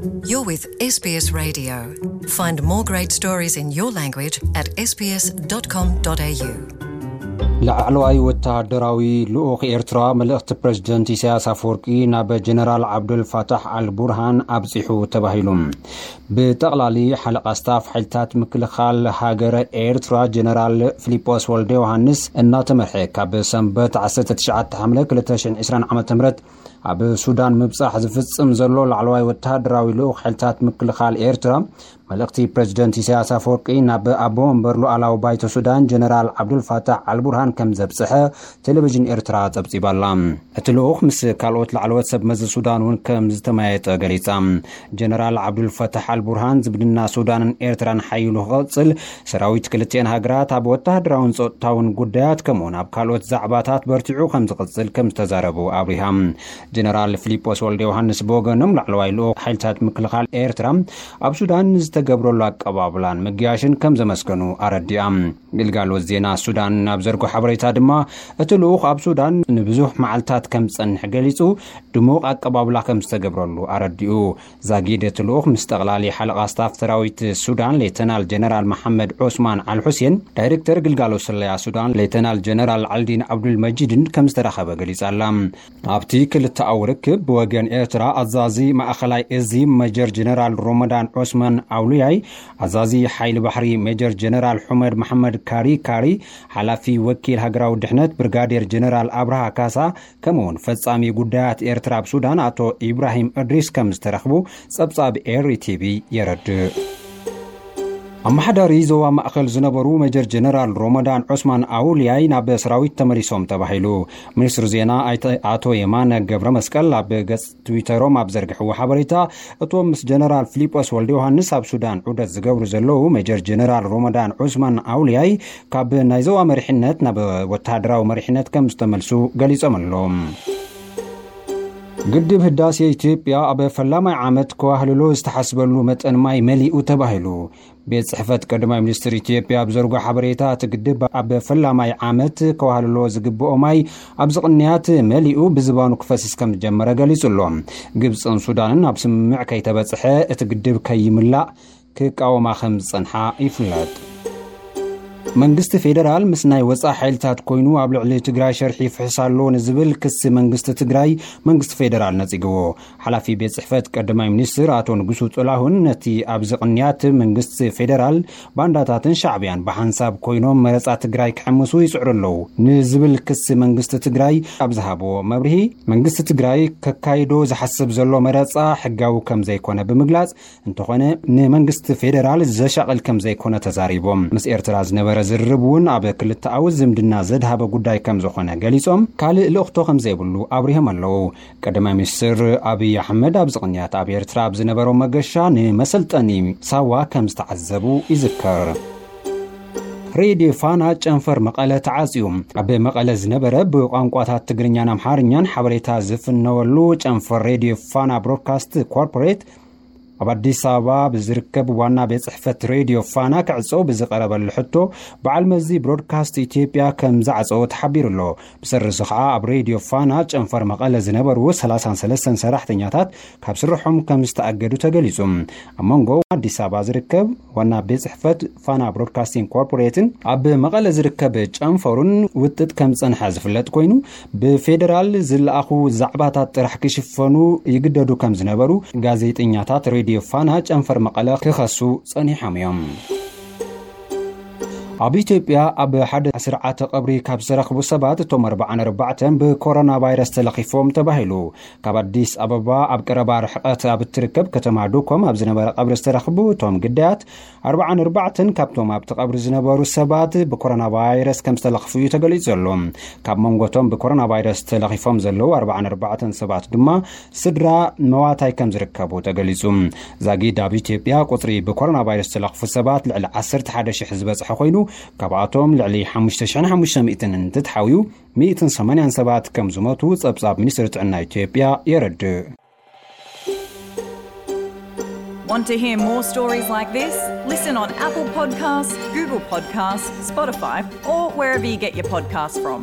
You're with S B S Radio. Find more great stories in your language at S B S dot com dot A U. ላዕለዋይ ወተሃደራዊ ልኡኽ ኤርትራ፣ መልእኽቲ ፕረዚደንት ኢሳያስ ኣፈወርቂ ናብ ጀነራል ዓብዱል ፋታሕ ኣል ቡርሃን ኣብጺሑ ተባሂሉ። ብጠቕላሊ ሓለቓ ስታፍ ሓይልታት ምክልኻል ሃገረ ኤርትራ፣ ጀነራል ፊሊጶስ ወልደ ዮሃንስ እናተመርሐ፣ ካብ ሰንበት ዓሰርተ ትሽዓተ ሓምለ ክልተ ሽሕን ዕስራን ዓመተ ምህረት ኣብ ሱዳን ምብጻሕ ዝፍጽም ዘሎ ላዕለዋይ ወተሃደራዊ ልኡኽ ሓይልታት ምክልኻል ኤርትራ፣ መልእኽቲ ፕረዚደንት ኢሳያስ ኣፈወርቂ ናብ ኣቦ መንበር ሉዓላዊ ባይቶ ሱዳን ጀነራል ዓብዱልፋታሕ ኣልቡርሃን ከም ዘብጽሐ ቴሌቪዥን ኤርትራ ጸብጺባ'ላ። እቲ ልኡኽ ምስ ካልኦት ላዕለዎት ሰብ መዚ ሱዳን እውን ከም ዝተመያየጠ ገሊጻ። ጀነራል ዓብዱልፋታሕ ኣልቡርሃን ዝምድና ሱዳንን ኤርትራን ሓይሉ ክቕጽል፣ ሰራዊት ክልቲኤን ሃገራት ኣብ ወተሃደራውን ጸጥታውን ጉዳያት ከምኡውን ኣብ ካልኦት ዛዕባታት በርቲዑ ከም ዝቕጽል ከም ዝተዛረቡ ኣብሪሃ። ጀነራል ፊሊጶስ ወልደ ዮሃንስ ብወገኖም፣ ላዕለዋይ ልኡኽ ሓይልታት ምክልኻል ኤርትራ ኣብ ሱዳን ንዝተገብረሉ ኣቀባብላን ምግያሽን ከም ዘመስገኑ ኣረዲኣ። ግልጋሎት ዜና ሱዳን ኣብ ዘርጎ ሓበሬታ ድማ፣ እቲ ልኡኽ ኣብ ሱዳን ንብዙሕ መዓልታት ከም ዝጸንሕ ገሊጹ፣ ድሙቕ ኣቀባብላ ከም ዝተገብረሉ ኣረዲኡ። ዛጊድ እቲ ልኡኽ ምስ ጠቕላሊ ሓለቓ ስታፍ ሰራዊት ሱዳን ሌተናል ጀነራል መሓመድ ዑስማን ኣል ሑሴን፣ ዳይሬክተር ግልጋሎት ስለያ ሱዳን ሌተናል ጀነራል ዓልዲን ዓብዱል መጂድን ከም ዝተራኸበ ገሊጻ ኣላ። ኣብቲ ክልተኣዊ ርክብ፣ ብወገን ኤርትራ ኣዛዚ ማእኸላይ እዚ ሜጀር ጀነራል ሮመዳን ዑስማን ኣውሉያይ፣ ኣዛዚ ሓይሊ ባሕሪ ሜጀር ጀነራል ሑመድ መሓመድ ካሪ ካሪ፣ ሓላፊ ወኪል ሃገራዊ ድሕነት ብርጋዴር ጀነራል ኣብርሃ ካሳ፣ ከምኡውን ፈጻሚ ጉዳያት ኤርትራ ኣብ ሱዳን ኣቶ ኢብራሂም እድሪስ ከም ዝተረኽቡ ጸብጻብ ኤሪ ቲቪ የረድእ። ኣመሓዳሪ ዞባ ማእከል ዝነበሩ ሜጀር ጀነራል ሮመዳን ዑስማን ኣውልያይ ናብ ሰራዊት ተመሊሶም ተባሂሉ። ሚኒስትሪ ዜና ኣይተ-፣ ኣቶ የማነ ገብረ መስቀል ኣብ ገጽ ትዊተሮም ኣብ ዘርግሕዎ ሓበሬታ፣ እቶም ምስ ጀነራል ፊሊጶስ ወልደ ዮሃንስ ኣብ ሱዳን ዑደት ዝገብሩ ዘለዉ ሜጀር ጀነራል ሮመዳን ዑስማን ኣውልያይ ካብ ናይ ዞባ መሪሕነት ናብ ወተሃደራዊ መሪሕነት ከም ዝተመልሱ ገሊጾም ኣለዉ። ግድብ ህዳሴ ኢትዮጵያ ኣብ ፈላማይ ዓመት ከዋህልሎ ዝተሓስበሉ መጠን ማይ መሊኡ ተባሂሉ። ቤት ጽሕፈት ቀዳማይ ሚኒስትር ኢትዮጵያ ኣብ ዘርጎ ሓበሬታ፣ እቲ ግድብ ኣብ ፈላማይ ዓመት ከዋህልሎ ዝግብኦ ማይ ኣብዚ ቅንያት መሊኡ ብዝባኑ ክፈስስ ከም ዝጀመረ ገሊጹ ኣሎ። ግብጽን ሱዳንን ኣብ ስምምዕ ከይተበጽሐ እቲ ግድብ ከይምላእ ክቃወማ ከም ዝጸንሓ ይፍለጥ። መንግስቲ ፌደራል ምስ ናይ ወጻኢ ሓይልታት ኮይኑ ኣብ ልዕሊ ትግራይ ሸርሒ ይፍሕስ ኣሎ ንዝብል ክሲ መንግስቲ ትግራይ መንግስቲ ፌደራል ነጺግዎ። ሓላፊ ቤት ጽሕፈት ቀዳማይ ሚኒስትር ኣቶ ንጉሱ ጥላሁን፣ ነቲ ኣብዚ ቅንያት መንግስቲ ፌደራል ባንዳታትን ሻዕብያን ብሓንሳብ ኮይኖም መረጻ ትግራይ ክሕምሱ ይጽዕሩ ኣለዉ ንዝብል ክሲ መንግስቲ ትግራይ ኣብ ዝሃብዎ መብርሂ፣ መንግስቲ ትግራይ ከካይዶ ዝሓስብ ዘሎ መረጻ ሕጋዊ ከም ዘይኮነ ብምግላጽ፣ እንተኾነ ንመንግስቲ ፌደራል ዘሻቕል ከም ዘይኮነ ተዛሪቦም። ምስ ኤርትራ ዝነበረ ዝርርብ እውን ኣብ ክልተኣዊ ዝምድና ዘድሃበ ጉዳይ ከም ዝኾነ ገሊጾም፣ ካልእ ልእኽቶ ከም ዘይብሉ ኣብሪሆም ኣለዉ። ቀዳማይ ሚኒስትር ኣብይ ኣሕመድ ኣብዚ ቅንያት ኣብ ኤርትራ ኣብ ዝነበሮ መገሻ ንመሰልጠኒ ሳዋ ከም ዝተዓዘቡ ይዝከር። ሬድዮ ፋና ጨንፈር መቐለ ተዓጽዩ። ኣብ መቐለ ዝነበረ ብቋንቋታት ትግርኛን ኣምሓርኛን ሓበሬታ ዝፍነወሉ ጨንፈር ሬድዮ ፋና ብሮድካስት ኮርፖሬት፣ ኣብ ኣዲስ ኣበባ ብዝርከብ ዋና ቤት ጽሕፈት ሬድዮ ፋና ክዕጾ ብዝቐረበሉ ሕቶ፣ በዓል መዚ ብሮድካስት ኢትዮጵያ ከም ዝዓጸዎ ተሓቢሩ ኣሎ። ብሰሪ እዚ ኸዓ፣ ኣብ ሬድዮ ፋና ጨንፈር መቐለ ዝነበሩ ሰላሳን ሰለስተን ሰራሕተኛታት ካብ ስርሖም ከም ዝተኣገዱ ተገሊጹ። ኣብ መንጎ ኣዲስ ኣበባ ዝርከብ ዋና ቤት ጽሕፈት ፋና ብሮድካስቲንግ ኮርፖሬትን ኣብ መቐለ ዝርከብ ጨንፈሩን ውጥጥ ከም ዝጸንሐ ዝፍለጥ ኮይኑ፣ ብፌደራል ዝለኣኹ ዛዕባታት ጥራሕ ክሽፈኑ ይግደዱ ከም ዝነበሩ ጋዜጠኛታት ሬድዮ ፋና ጨንፈር መቐለ ክኸሱ ጸኒሖም እዮም። ኣብ ኢትዮጵያ ኣብ ሓደ ስርዓተ ቀብሪ ካብ ዝተረኽቡ ሰባት፣ እቶም ኣርባዓን ኣርባዕተን ብኮሮና ቫይረስ ተለኺፎም ተባሂሉ። ካብ ኣዲስ ኣበባ ኣብ ቀረባ ርሕቀት ኣብ እትርከብ ከተማ ዱኮም ኣብ ዝነበረ ቀብሪ ዝተረኽቡ እቶም ግዳያት፣ ኣርባዓን ኣርባዕተን ካብቶም ኣብቲ ቀብሪ ዝነበሩ ሰባት ብኮሮና ቫይረስ ከም ዝተለኽፉ እዩ ተገሊጹ ዘሎ። ካብ መንጎቶም ብኮሮና ቫይረስ ተለኺፎም ዘለዉ ኣርባዓን ኣርባዕተን ሰባት ድማ ስድራ መዋታይ ከም ዝርከቡ ተገሊጹ። ዛጊድ ኣብ ኢትዮጵያ ቁጽሪ ብኮሮና ቫይረስ ዝተለኽፉ ሰባት ልዕሊ ዓሰርተ ሓደ ሽሕ ዝበጽሐ ኮይኑ፣ ካብኣቶም ልዕሊ ሓሙሽተ ሽሕን ሓሙሽተ ሚእትን እንትትሓውዩ፣ ሚእትን ሰማንያን ሰባት ከም ዝሞቱ ጸብጻብ ሚኒስትሪ ጥዕና ኢትዮጵያ የረድእ። Want to hear more stories like this? Listen on Apple Podcasts, Google Podcasts, Spotify, or wherever you get your podcasts from.